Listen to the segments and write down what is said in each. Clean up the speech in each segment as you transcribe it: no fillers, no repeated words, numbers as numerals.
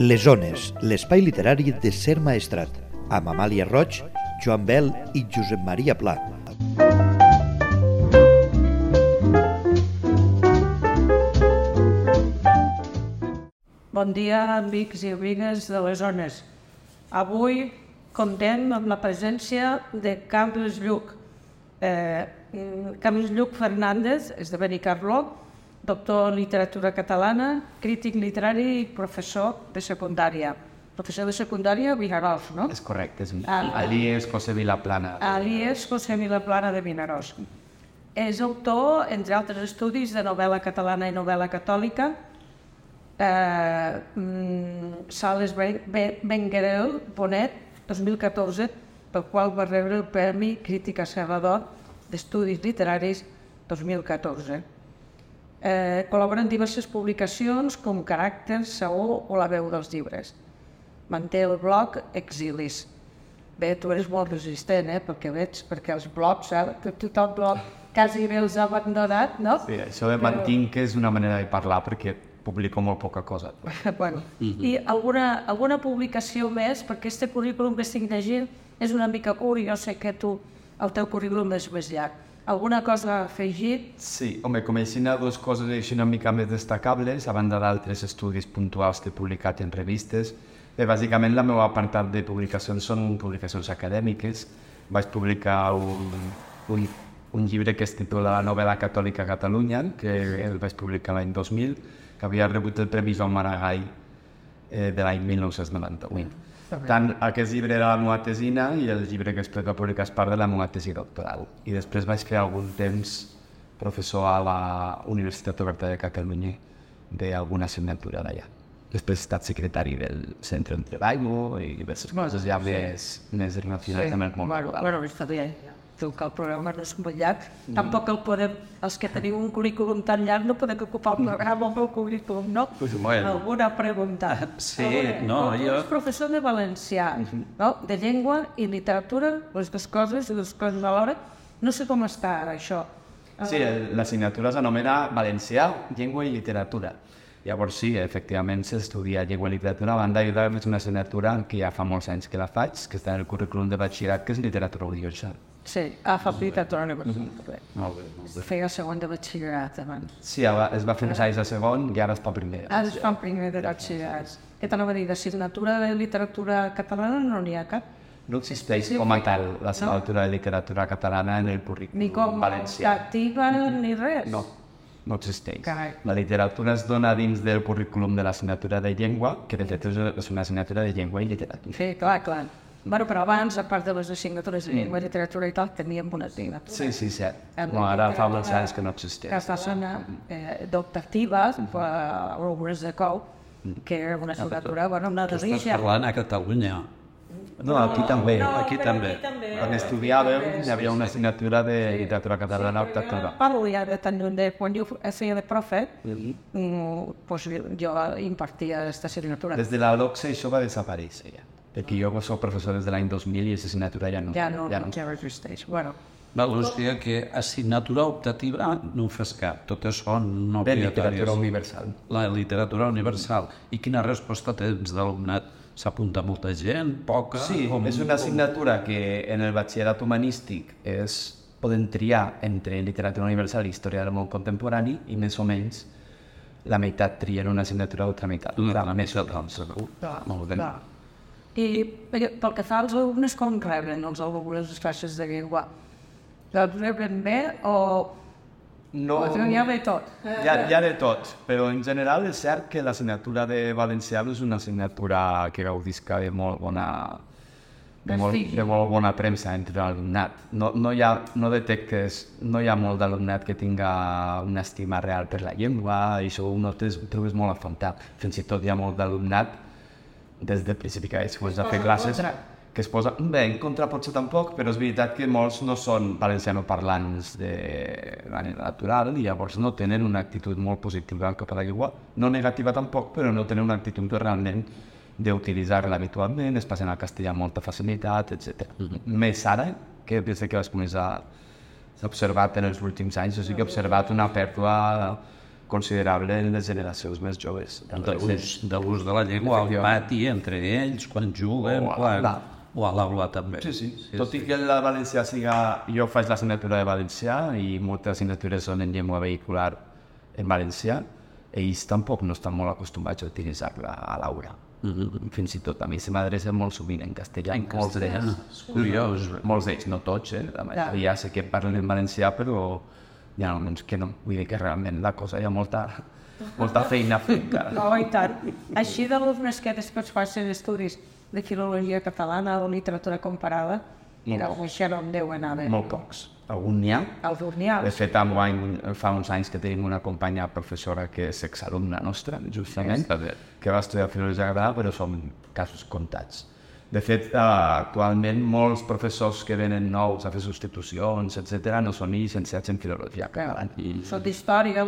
Les Ones, l'espai literari de Ser Maestrat, amb Amàlia Roig, Joan Bel i Josep Maria Pla. Bon dia, amics i amigues de les Ones. Avui comptem amb la presència de Carles Lluch. Carles Lluch Fernández és de Benicarló, doctor en literatura catalana, crític literari i professor de secundària. Professor de secundària a Vinaròs, no? És correcte, allí és José Vilaplana. Allí és José Vilaplana de Vinaròs. És autor, entre altres estudis, de novel·la catalana i novel·la catòlica, Sales Benguerel Bonet, 2014, pel qual va rebre el Premi Crítica Serra d'Or d'Estudis Literaris 2014. Col·labora en diverses publicacions com Caràcter, Saó o La veu dels llibres. Manté el blog Exilis. Bé, tu eres molt resistent, perquè veig, perquè els blogs, tot el blog quasi bé els ha abandonat, no? Sí, això de mantinc és una manera de parlar perquè publico molt poca cosa. Bueno, i alguna publicació més, perquè este currículum que estic llegint és una mica curt i jo sé que el teu currículum és més llarg. Alguna cosa a afegir? Sí, home, com aixina dues coses així una mica més destacables, a banda d'altres estudis puntuals que he publicat en revistes. Bé, bàsicament la meva apartat de publicacions són publicacions acadèmiques. Vaig publicar un llibre que es titula La novel·la catòlica a Catalunya, que el vaig publicar l'any 2000, que havia rebut el Premi Joan Maragall de l'any 1998. Tant aquest llibre era la meva tesina i el llibre que després va publicar és part de la meva tesi doctoral. I després vaig fer algun temps professor a la Universitat Oberta de Catalunya d'alguna assignatura d'allà. Després he estat secretari del Centre de Treball i diverses coses ja més relacionades amb el món laboral. Bueno, està bé. Que el programa no és molt llarg, tampoc el podem, els que tenim un currículum tan llarg no podem ocupar el programa amb el currículum, no? Alguna pregunta? Sí, no, jo... És professor de valencià, no? De llengua i literatura, les dues coses alhora. No sé com està ara, això. Sí, l'assignatura s'anomena valencià, llengua i literatura. Llavors sí, efectivament s'estudia llengua i literatura. A banda és una assignatura que ja fa molts anys que la faig, que està en el currículum de batxillerat, que és literatura audiovisual. Sí, fa literatura universal. Molt bé. Feia segon de batxillerat abans. Sí, es va fer uns anys de segon i ara es fa primer. Ara es fa primer de batxillerat. Què t'anava a dir? D'assignatura de literatura catalana no n'hi ha cap? No existeix com a tal l'assignatura de literatura catalana en el currículum valencià. Ni com optativa ni res? No existeix. Carai. La literatura es dona dins del currículum de l'assignatura de llengua, que de fet és una assignatura de llengua i literatura. Sí, clar. Bueno, però abans, a part de les assignatures de llengua i literatura i tal, teníem una assignatura. Sí, cert. No, ara fa molts anys que no existeix. Que està sonant d'optatives, algunes de cou, que era una assignatura, una delícia. Estàs parlant a Catalunya. No, aquí també. Aquí també. Quan estudiàvem, hi havia una assignatura de literatura catalana optativa. Parlo ja de tant de quan jo feia de profe, jo impartia aquesta assignatura. Des de la LOCSE això va desaparèixer ja. Perquè jo soc professor des de l'any 2000 i aquesta assignatura ja no. Ja no existeix. Bueno. Hòstia, que assignatura optativa no ho fas cap. Tot això no obligatòries. Literatura universal. La literatura universal. I quina resposta tens d'alumnat? S'apunta molta gent? Poca? Sí, és una assignatura que en el batxillerat humanístic poden triar entre literatura universal i història del món contemporani i més o menys la meitat trien una assignatura a l'altra meitat. Molt bé. I pel que fa als alumnes, com reben els alumnes les classes de llengua? Els reben bé o... No, hi ha de tot. Hi ha de tot, però en general és cert que l'assignatura de valencià és una assignatura que gaudisca de molt bona premsa entre l'alumnat. No hi ha molt d'alumnat que tinga una estima real per la llengua i això ho trobes molt a faltar. Fins i tot hi ha molt d'alumnat des del principi que es posa a fer classes que es posa, bé, en contra potser tampoc, però és veritat que molts no són valencianoparlants de manera natural i llavors no tenen una actitud molt positiva cap a la llengua, no negativa tampoc, però no tenen una actitud realment d'utilitzar-la habitualment, es passen al castellà amb molta facilitat, etc. Més ara, que des que vaig començar s'ha observat en els últims anys, o sigui que he observat una pèrdua considerable en les generacions més joves. De l'ús de la llengua al pati, entre ells, quan juguen, o a l'aula també. Sí. Tot i que el valencià siga... Jo faig l'assignatura de valencià i moltes assignatures són en llengua vehicular en valencià, ells tampoc no estan molt acostumats a utilitzar-la a l'aula. Fins i tot a mi se m'adrecen molt sovint en castellà. En castellà, és curiós. Molts d'ells, no tots, la majoria sé que parlen en valencià, però hi ha almenys que no. Vull dir que realment la cosa hi ha molta feina a fer encara. No, i tant. Així d'alumnes que després facin estudis de filologia catalana o literatura comparada, això no en deuen haver. Molt pocs. Algun n'hi ha. De fet, fa uns anys que tenim una companya professora que és exalumna nostra, justament, que va estudiar filologia catalana, però són casos comptats. De fet, actualment molts professors que venen nous a fer substitucions, etc., no són ni llicenciats en filologia catalana. Són d'història,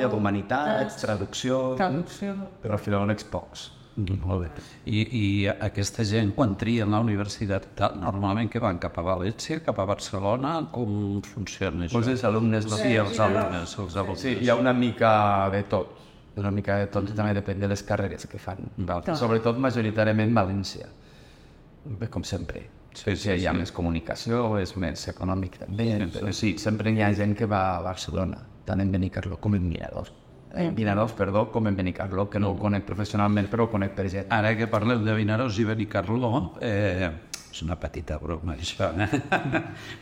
d'humanitats, traducció, però filòlegs pocs. Molt bé. I aquesta gent, quan trien la universitat, normalment que van cap a València, cap a Barcelona, com funciona això? Els alumnes, Sí, els alumnes. Sí, hi ha una mica de tot. Una mica de tot i també depèn de les carreres que fan. Sobretot majoritàriament València, com sempre. Hi ha més comunicació, és més econòmic també, però sí, sempre hi ha gent que va a Barcelona, tant en Benicarló com en Vinaròs. Com en Benicarló, que no ho conec professionalment, però ho conec per gent. Ara que parleu de Vinaròs i Benicarló, és una petita broma, això,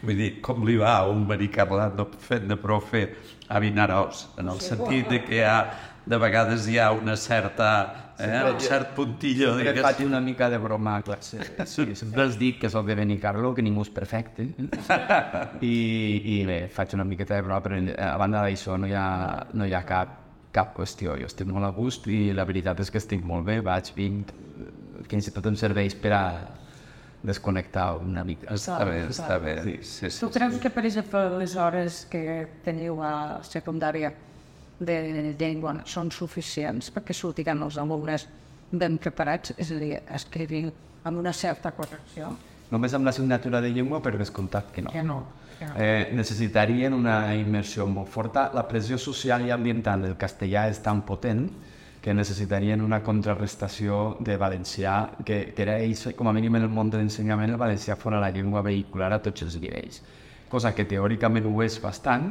Vull dir, com li va a un benicarlà fet de profe a Vinaròs, en el sentit de que de vegades hi ha una certa... un cert puntillo. Sempre faig una mica de broma a classe. Sempre els dic que soc de Benicarló, que ningú és perfecte. I bé, faig una miqueta de broma, però a banda d'això no hi ha cap qüestió. Jo estic molt a gust i la veritat és que estic molt bé, vinc, fins i tot em serveix per a desconnectar una mica. Està bé. Tu creus que, per exemple, les hores que teniu a secundària de llengua són suficients perquè sortiran els alumnes ben preparats, és a dir, escrivint amb una certa correcció? Només amb l'assignatura de llengua, per descomptat que no. Necessitarien una immersió molt forta. La pressió social i ambiental del castellà és tan potent que necessitarien una contrarrestació de valencià, que per a ells, com a mínim en el món de l'ensenyament, el valencià fora la llengua vehicular a tots els nivells. Cosa que teòricament ho és bastant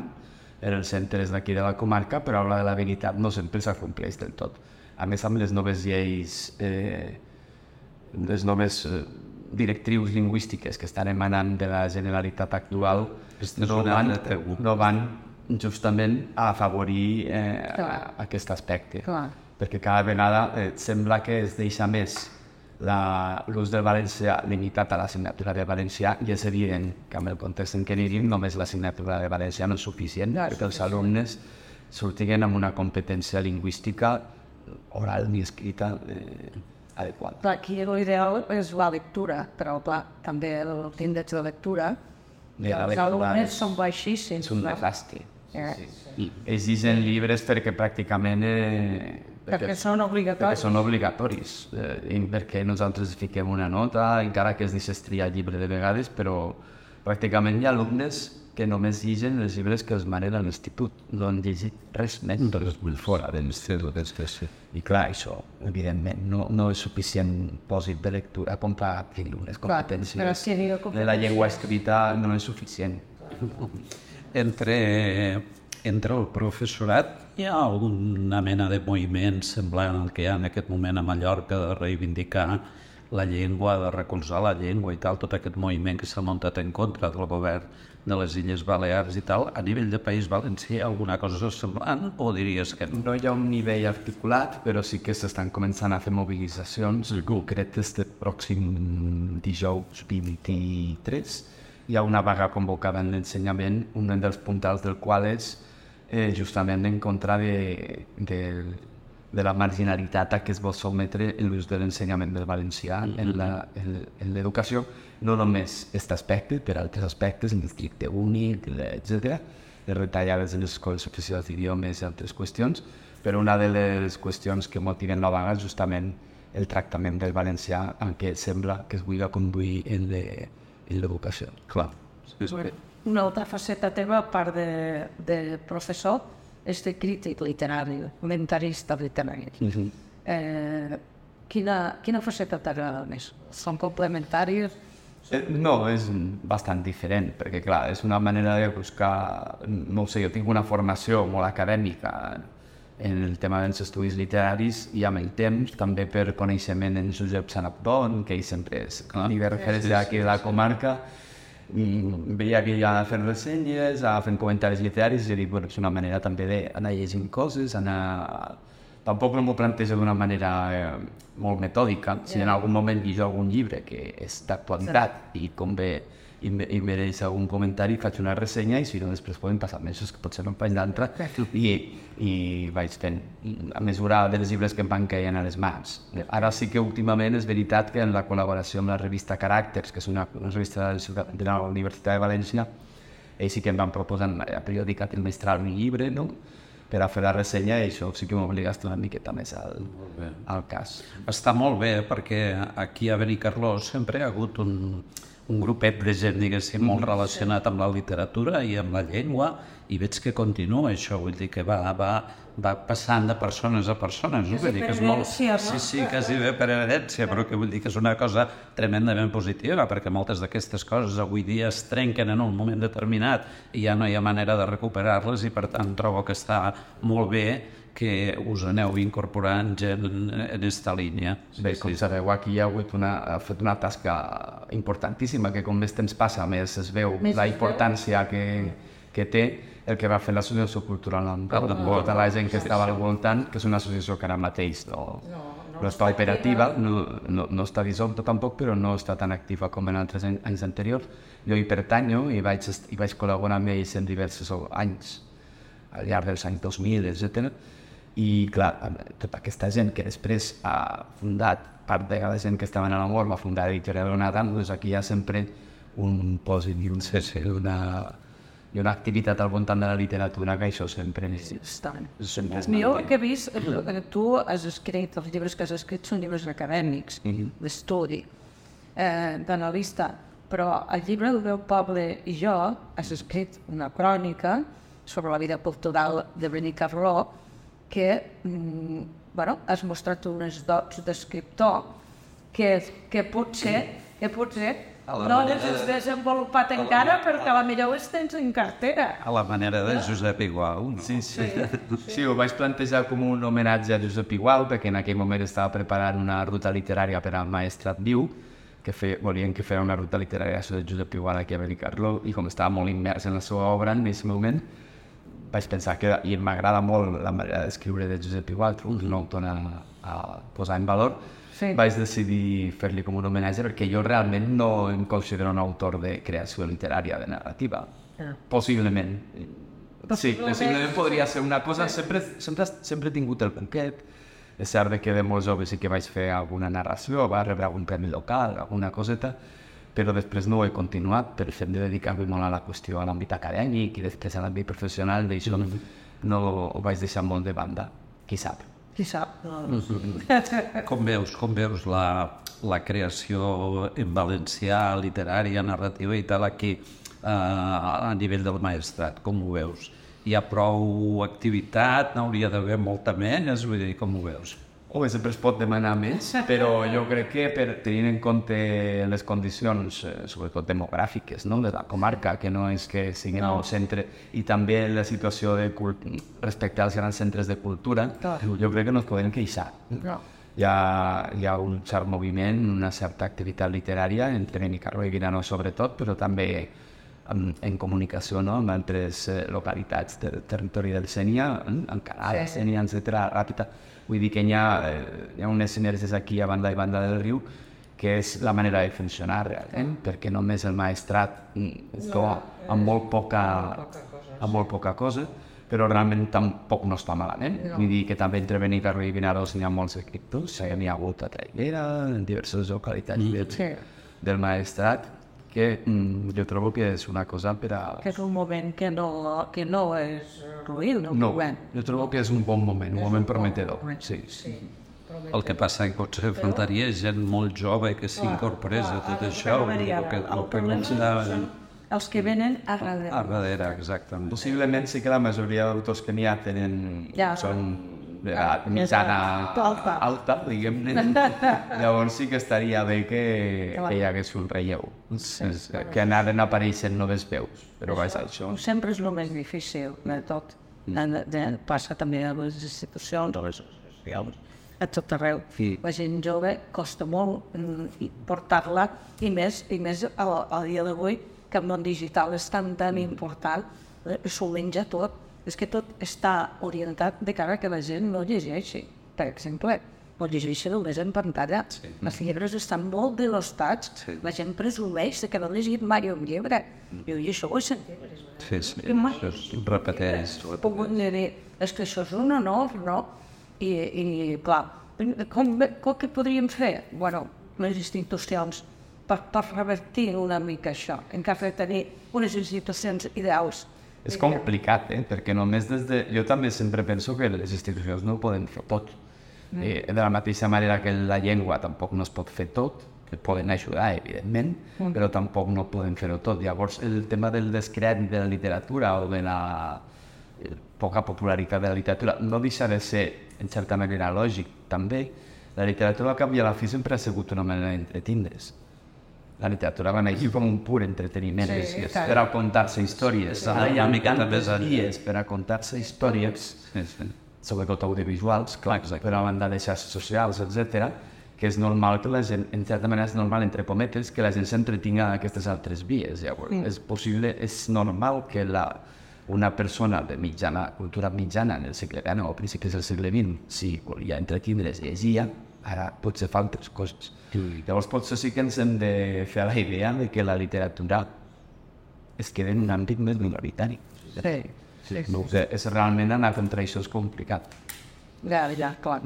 en els centres d'aquí de la comarca, però a l'hora de la veritat no sempre s'acompleix del tot. A més, amb les noves lleis, les noves directrius lingüístiques que estan emanant de la Generalitat actual no van justament a afavorir aquest aspecte. Perquè cada vegada sembla que es deixa més l'ús del valencià limitat a l'assignatura de valencià, i és evident que amb el context en què vivim només l'assignatura de valencià no és suficient perquè els alumnes sortiguen amb una competència lingüística oral i escrita adequada. Aquí l'ideal és la lectura, però també l'índex de lectura. Els alumnes són baixíssims. És un desastre. Ells llegeixen llibres perquè pràcticament... Perquè són obligatoris. Perquè són obligatoris. Perquè nosaltres fiquem una nota, encara que es deixés triar llibre de vegades, però pràcticament hi ha alumnes que només llegeixen els llibres que els manen a l'institut. No han llegit res més. Res molt fora de l'institut. I clar, això, evidentment, no és suficient pòsit de lectura com per adquirir unes competències. La llengua escrita no és suficient. Entre el professorat hi ha alguna mena de moviment semblant al que hi ha en aquest moment a Mallorca de reivindicar la llengua, de recolzar la llengua i tal, tot aquest moviment que s'ha muntat en contra del govern de les Illes Balears i tal. A nivell de País Valencià hi ha alguna cosa semblant o diries que no? No hi ha un nivell articulat, però sí que s'estan començant a fer mobilitzacions concretes del pròxim dijous 23. Hi ha una vaga convocada en l'ensenyament, un dels puntals del qual és justament en contra de la marginalitat a què es vol sotmetre l'ús de l'ensenyament del valencià en l'educació, no només aquest aspecte, per altres aspectes, el districte únic, etc., les retallades de les escoles oficials d'idiomes i altres qüestions, però una de les qüestions que motiven la vaga és justament el tractament del valencià en què sembla que es vulgui conduir en l'educació. Clar. Una altra faceta teva, a part de professor, és de crític literari, comentarista literari. Quina faceta t'agrada més? Són complementàries? No, és bastant diferent, perquè clar, és una manera de buscar, no sé, jo tinc una formació molt acadèmica en el tema dels estudis literaris i amb el temps també per coneixement en Josep Sanabdon, que ell sempre és de referència aquí de la comarca, veia que ja fent ressenyes, fent comentaris literaris i dic, bueno, és una manera també d'anar llegint coses, Tampoc no m'ho plantejo d'una manera molt metòdica. Si en algun moment llegeixo algun llibre que és d'actualitat i convé i mereix algun comentari, faig una ressenya i si no després poden passar mesos que potser no em faig d'altra i vaig fent a mesura dels llibres que em van caient a les mans. Ara sí que últimament és veritat que en la col·laboració amb la revista Caràcters, que és una revista de la Universitat de València, ells sí que em van proposar periòdica trimestral un llibre, no? Per a fer la ressenya i això sí que m'obliga a estar una miqueta més al cas. Està molt bé perquè aquí a Benicarló sempre hi ha hagut un grupet de gent, diguéssim, molt relacionat amb la literatura i amb la llengua i veig que continua això, vull dir que va passant de persones a persones. Vull dir que és molt... Sí, quasi bé per herència, però que vull dir que és una cosa tremendament positiva perquè moltes d'aquestes coses avui dia es trenquen en un moment determinat i ja no hi ha manera de recuperar-les i per tant trobo que està molt bé que us aneu incorporant gent en aquesta línia. Bé, com sabeu, aquí hi ha fet una tasca importantíssima que com més temps passa més es veu la importància que té el que va fer l'associació cultural amb tota la gent que estava al voltant, que és una associació que ara mateix no està operativa, no està dissolta tampoc, però no està tan activa com en altres anys anteriors. Jo hi pertanyo i vaig col·laborar amb ells en diversos anys, al llarg dels anys 2000, etc. I clar, tota aquesta gent que després ha fundat, part de la gent que estaven a l'amor, va fundar Editorial Onada, doncs aquí hi ha sempre un pòsit i una activitat al voltant de la literatura que això sempre és jo que he vist, tu has escrit, els llibres que has escrit són llibres acadèmics, d'estudi, d'analista, però al llibre del meu poble i jo has escrit una crònica sobre la vida cultural de Benicarló que has mostrat unes dots d'escriptor que potser no les has desenvolupat encara perquè a la millor les tens en cartera. A la manera de Josep Igual. No? Sí, ho vaig plantejar com un homenatge a Josep Igual perquè en aquell moment estava preparant una ruta literària per al Maestrat Viu, que volien que fera una ruta literària de Josep Igual aquí a Benicarló i com estava molt immers en la seva obra en aquest moment vaig pensar que m'agrada molt la manera d'escriure de Josep Igual, un autor a posar en valor. Vaig decidir fer-li com un homenatge perquè jo realment no em considero un autor de creació literària, de narrativa. Possiblement. Sí, possiblement podria ser una cosa... Sempre he tingut el conquet. És cert que de molt jove sí que vaig fer alguna narració, va rebre algun premi local, alguna coseta, però després no ho he continuat per fet de dedicar-me molt a la qüestió a l'àmbit acadèmic i després a l'àmbit professional, d'això no ho vaig deixar molt de banda. Qui sap? Qui sap? Com veus la creació en valencià, literària, narrativa i tal aquí a nivell del Maestrat? Com ho veus? Hi ha prou activitat? N'hauria d'haver molta menys? Vull dir, com ho veus? Sempre es pot demanar més, però jo crec que tenint en compte les condicions, sobretot demogràfiques, de la comarca, que no és que siguin al centre, i també la situació respecte als grans centres de cultura, jo crec que no es podem queixar. Hi ha un cert moviment, una certa activitat literària entre Benicarló i Vilanova sobretot, però també en comunicació amb altres localitats del territori del Sénia, Encarada, Sénia, etc. Ràpita. Vull dir que hi ha unes sinergies aquí a banda i banda del riu que és la manera de funcionar realment, perquè només el Maestrat amb molt poca cosa, però realment tampoc no està malament. Vull dir que també entre Benicarló i Vinaròs n'hi ha molts escriptors, n'hi ha hagut a Traiguera, en diverses localitats del Maestrat, que jo trobo que és una cosa per a... Que és un moment que no és ruïn, no, jo trobo que és un bon moment, un moment prometedor. Sí. El que passa que potser faltaria gent molt jove que s'incorporés a tot això, els que venen a darrere. A darrere, exactament. Possiblement sí que la majoria d'autors que n'hi ha són de mitjana alta, diguem-ne. Llavors sí que estaria bé que hi hagués un relleu, que anaren apareixent noves veus, però vaja, això... Sempre és el més difícil de tot. Passa també a les institucions, a les socials, a tot arreu. La gent jove costa molt portar-la, i més a dia d'avui, que el món digital és tan important, s'ho menja tot. És que tot està orientat de cara que la gent no llegeixi. Per exemple, no llegeixi només en pantalla. Els llibres estan molt denostats. La gent presumeix que no ha llegit mai un llibre. I això ho he sentit. Sí, repeteix. És que això és un honor, no? I clar, què podríem fer? Bueno, les institucions, per revertir una mica això, en cas de tenir unes institucions ideals. És complicat, perquè només jo també sempre penso que les institucions no ho poden fer tot. De la mateixa manera que la llengua tampoc no es pot fer tot, que poden ajudar, evidentment, però tampoc no poden fer-ho tot. Llavors, el tema del descrèdit de la literatura o de la poca popularitat de la literatura no deixa de ser, en certa manera, lògic, també. La literatura, al cap i a la fi, sempre ha sigut una manera d'entretindre's. La literatura va néixer com un pur entreteniment, per a contar-se històries. Ara hi ha dies per a contar-se històries, sobretot audiovisuals, per a banda de xarxes socials, etc., que és normal que la gent, en certa manera és normal, entre cometes, que la gent s'entretinga en aquestes altres vies. És possible, és normal que una persona de cultura mitjana en el segle XIX o principis del segle XX, si volia entretindre's, llegia, ara potser fa altres coses. Llavors potser sí que ens hem de fer la idea de que la literatura es queda en un àmbit més minoritari. És realment anar contra això és complicat. Ja, clar.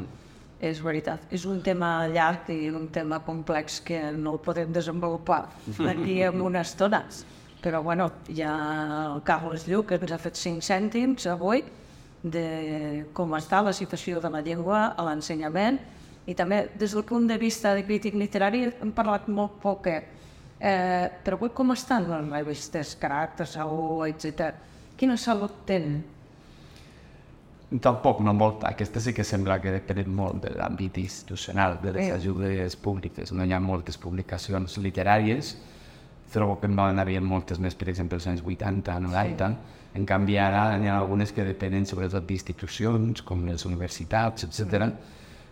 És veritat. És un tema llarg i un tema complex que no el podem desenvolupar aquí en una estona. Però bueno, hi ha el Carles Lluc, que ens ha fet 5 cèntims avui de com està la situació de la llengua a l'ensenyament, i també des del punt de vista de crític literari hem parlat molt poc. Però avui com estan les revistes, Caràcter, Saúl, etc. Quina salut tenen? Tampoc, no molta. Aquesta sí que sembla que depèn molt de l'àmbit institucional, de les ajudes públiques. No hi ha moltes publicacions literàries. Trobo que en van haver moltes més, per exemple, als anys 80, 90. En canvi, ara hi ha algunes que depenen sobretot d'institucions, com les universitats, etc.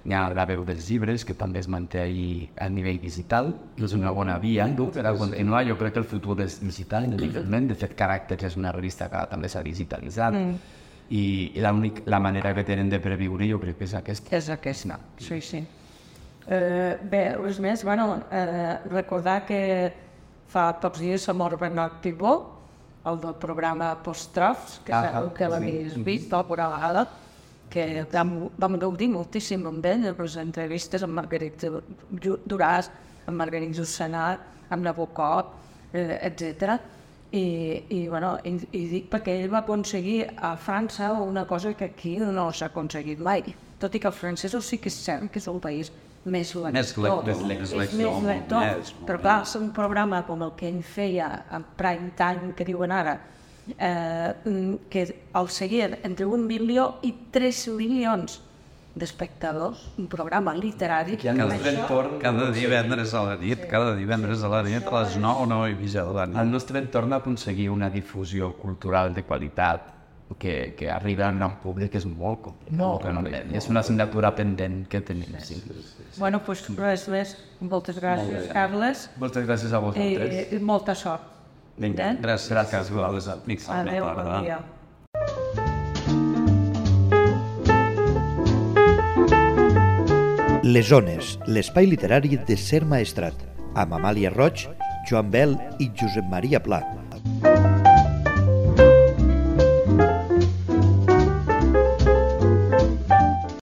Hi ha la veu dels llibres, que també es manté a nivell digital. És una bona via per a continuar. Jo crec que el futur és digital, evidentment. De fet, Caràcters és una revista que també s'ha digitalitzat. I la manera que tenen de previure jo crec que és aquesta. És aquesta, sí. Bé, res més, recordar que fa pocs dies s'ha mort Bernat Pibó, el del programa Post-Trofs, que segur que l'havies vist alguna vegada, que vam gaudir moltíssim amb ell, en les entrevistes amb Margarit Duràs, amb Margarit Jussanat, amb Nabokov, etc. I dic perquè ell va aconseguir a França una cosa que aquí no s'ha aconseguit mai, tot i que els francesos sí que és cert que és un país més lector, però clar, és un programa com el que ell feia en prime time, que diuen ara, que el seguien entre 1 milió i 3 milions d'espectadors, un programa literari. Cada divendres a la nit, a les 9 o 9 i mitja de la nit. El nostre entorn ha aconseguit una difusió cultural de qualitat que arriba a un gran públic és molt complicat. És una assignatura pendent que tenim. Bueno, doncs res més. Moltes gràcies, Carles. Moltes gràcies a vosaltres. I molta sort. Vinga, gràcies a vosaltres. Adéu, bon dia. Les Zones, l'espai literari de Ser Maestrat, amb Amàlia Roig, Joan Bel i Josep Maria Pla.